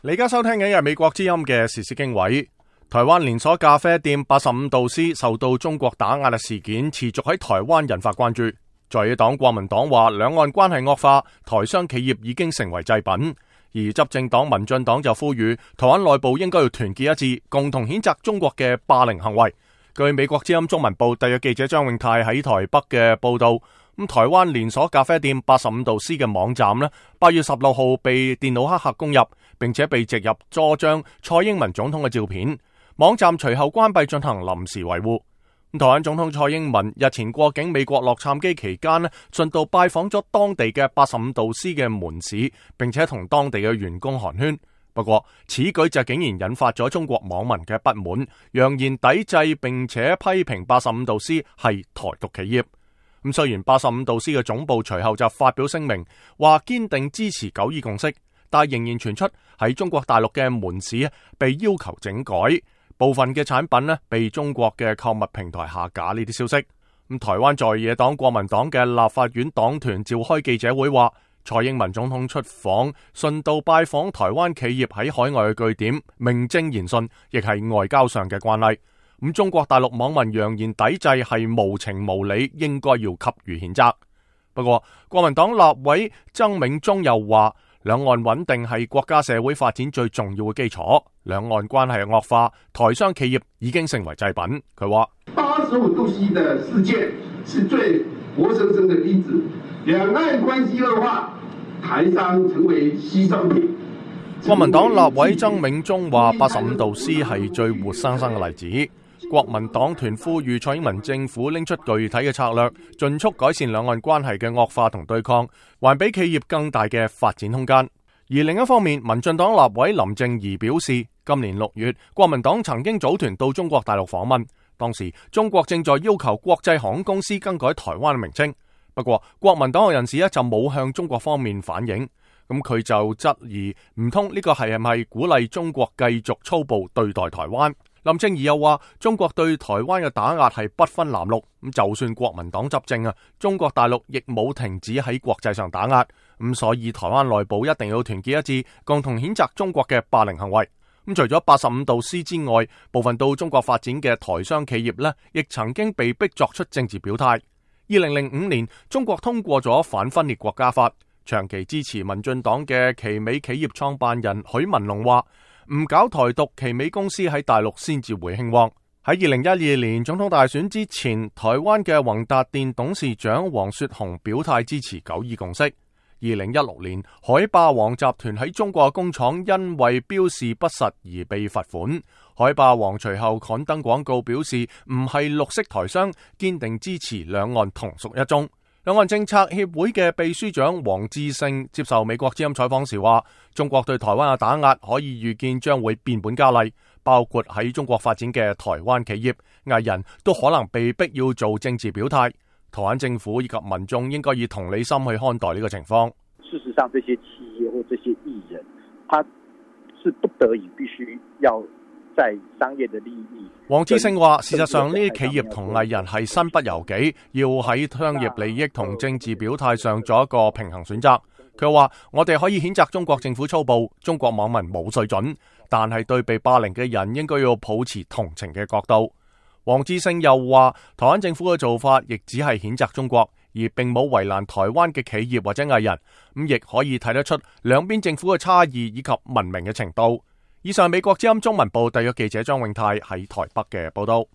你而家收聽緊嘅係美國之音嘅時事經緯。台灣連鎖咖啡店85度 C 受到中國打壓嘅事件持續喺台灣引發關注。在野黨國民黨話兩岸關係惡化，台商企業已經成為祭品。而執政黨民進黨就呼籲台灣內部應該要團結一致，共同譴責中國嘅霸凌行為。據美國之音中文部特約記者張永泰喺台北嘅報道，台灣連鎖咖啡店85度 C 嘅網站8月16號被電腦黑客攻入，並且被植入多張蔡英文總統嘅照片。網站隨後關閉進行臨時維護。台灣總統蔡英文日前過境美國洛杉磯期間順道拜訪咗當地嘅85度 C 嘅門市，並且同當地嘅員工寒暄。不過此舉就竟然引發咗中國網民嘅不滿，揚言抵制並且批評85度 C 係台獨企業。雖然85度 C 嘅總部隨後就發表聲明，話堅定支持九二共識，但仍然傳出喺中國大陸嘅門市被要求整改，部分嘅產品被中國嘅購物平台下架呢啲消息。台灣在野黨國民黨嘅立法院黨團召開記者會話，蔡英文總統出訪順道拜訪台灣企業喺海外嘅據點，名正言順，亦係外交上嘅慣例。中國大陸網民揚言抵制係無情無理，應該要給予譴責。不過國民黨立委曾銘宗又話，兩岸穩定係國家社會發展最重要嘅基礎，兩岸關係惡化，台商企業已經成為祭品。佢話85度 C 的事件是最活生生的例子，兩岸關係惡化，台商成為犧牲品。國民黨立委曾銘宗話85度 C 係最活生生嘅例子。國民黨團呼籲蔡英文政府拎出具體嘅策略，盡速改善兩岸關係嘅惡化同對抗，還俾企業更大嘅發展空間。而另一方面，民進黨立委林靜儀表示，今年6月，國民黨曾經組團到中國大陸訪問，當時中國正在要求國際航空公司更改台灣嘅名稱。不過，國民黨嘅人士就冇向中國方面反映，佢就質疑唔通呢個係咪鼓勵中國繼續粗暴對待台灣？林靜儀又話，中國對台灣嘅打壓係不分藍綠，就算國民黨執政中國大陸亦冇停止喺國際上打壓，所以台灣內部一定要團結一致，共同譴責中國嘅霸凌行為。除咗85度 C 之外，部分到中國發展嘅台商企業亦曾經被逼作出政治表態。2005年，中國通過咗反分裂國家法，長期支持民進黨嘅奇美企業創辦人許文龍話，唔搞台獨，奇美公司喺大陸先至會興旺。喺2012年總統大選之前，台灣嘅宏達電董事長黃雪紅表態支持九二共識。2016年，海霸王集團喺中國工廠因為標示不實而被罰款。海霸王隨後刊登廣告表示唔係綠色台商，堅定支持兩岸同屬一中。兩岸政策協會嘅秘書長黃志勝接受美國之音採訪時話，中國對台灣嘅打壓可以預見將會變本加厲，包括喺中國發展嘅台灣企業、藝人都可能被逼要做政治表態。台灣政府以及民眾應該以同理心去看待呢個情況。事實上，這些企業或這些藝人，他是不得已必須要在商業的利益。黃志勝話，事實上呢啲企業同藝人係身不由己，要喺商業利益同政治表態上做一個平衡選擇。佢話，我哋可以譴責中國政府粗暴，中國網民冇水準，但係對被霸凌嘅人應該要抱持同情嘅角度。黃志勝又話，台灣政府嘅做法亦只係譴責中國，而並冇為難台灣嘅企業或者藝人，亦可以睇得出兩邊政府嘅差異以及文明嘅程度。以上美國之音中文部特約記者張永泰喺台北嘅報道。